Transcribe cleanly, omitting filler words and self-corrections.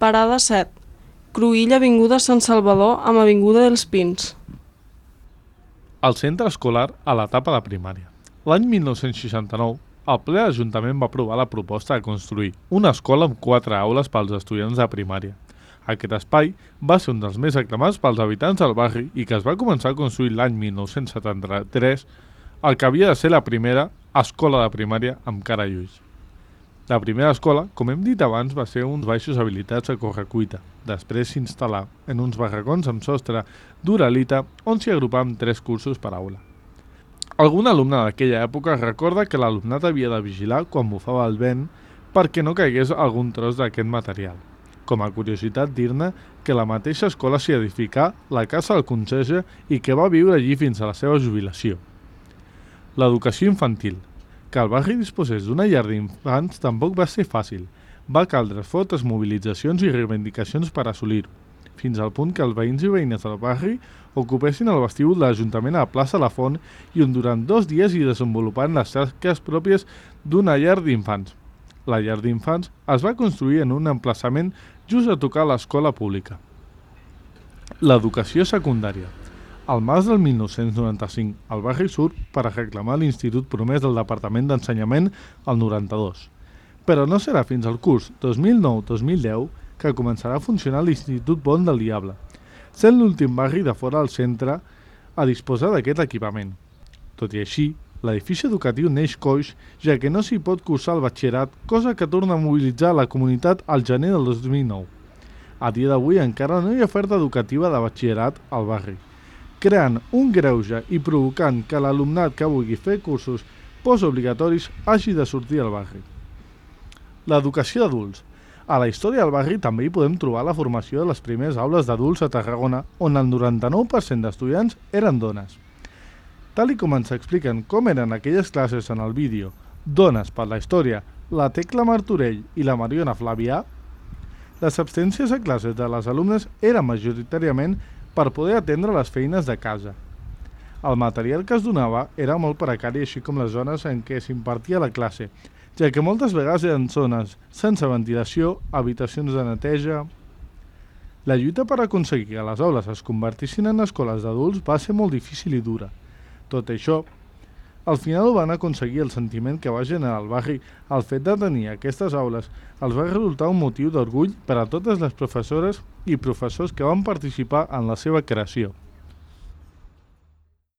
Parada 7. Cruïlla avinguda Sant Salvador amb avinguda dels Pins. El centre escolar a l'etapa de primària. L'any 1969, el ple de l'Ajuntament va aprovar la proposta de construir una escola amb 4 aules pels estudiants de primària. Aquest espai va ser un dels més aclamats pels habitants del barri i que es va començar a construir l'any 1973, el que havia de ser la primera escola de primària amb cara i ulls. La primera escola, com hem dit abans, va ser uns baixos habilitats a correcuita. Després s'instal·là en uns barracons amb sostre d'uralita on s'hi agrupaven 3 cursos per aula. Algun alumne d'aquella època recorda que l'alumnat havia de vigilar quan bufava el vent perquè no caigués algun tros d'aquest material. Com a curiositat dir-ne que la mateixa escola s'hi edificà la casa del conserge i que va viure allí fins a la seva jubilació. L'educació infantil. Que el barri disposés d'una llar d'infants tampoc va ser fàcil. Va caldre fortes mobilitzacions i reivindicacions per assolir-ho, fins al punt que els veïns i veïnes del barri ocupessin el vestíbul de l'Ajuntament a la plaça La Font i on durant 2 dies hi desenvoluparen les tasques pròpies d'una llar d'infants. La llar d'infants es va construir en un emplaçament just a tocar l'escola pública. L'educació secundària. Al març del 1995, el barri surt per a reclamar l'Institut Promès del Departament d'Ensenyament al 92. Però no serà fins al curs 2009-2010 que començarà a funcionar l'Institut Pont del Diable, sent l'últim barri de fora del centre a disposar d'aquest equipament. Tot i així, l'edifici educatiu neix coix, ja que no s'hi pot cursar el batxillerat, cosa que torna a mobilitzar la comunitat al gener del 2009. A dia d'avui encara no hi ha oferta educativa de batxillerat al barri, creant un greuge i provocant que l'alumnat que vulgui fer cursos postobligatoris hagi de sortir al barri. L'educació d'adults. A la història del barri també hi podem trobar la formació de les primeres aules d'adults a Tarragona, on el 99% d'estudiants eren dones. Tal i com ens expliquen com eren aquelles classes en el vídeo Dones per la història, la Tecla Martorell i la Mariona Flavià, les absències a classes de les alumnes eren majoritàriament per poder atendre les feines de casa. El material que es donava era molt precari, així com les zones en què s'impartia la classe, ja que moltes vegades eren zones sense ventilació, habitacions de neteja. La lluita per aconseguir que les aules es convertissin en escoles d'adults va ser molt difícil i dura. Tot això, al final ho van aconseguir. El sentiment que va generar al barri el fet de tenir aquestes aules els va resultar un motiu d'orgull per a totes les professores i professors que van participar en la seva creació.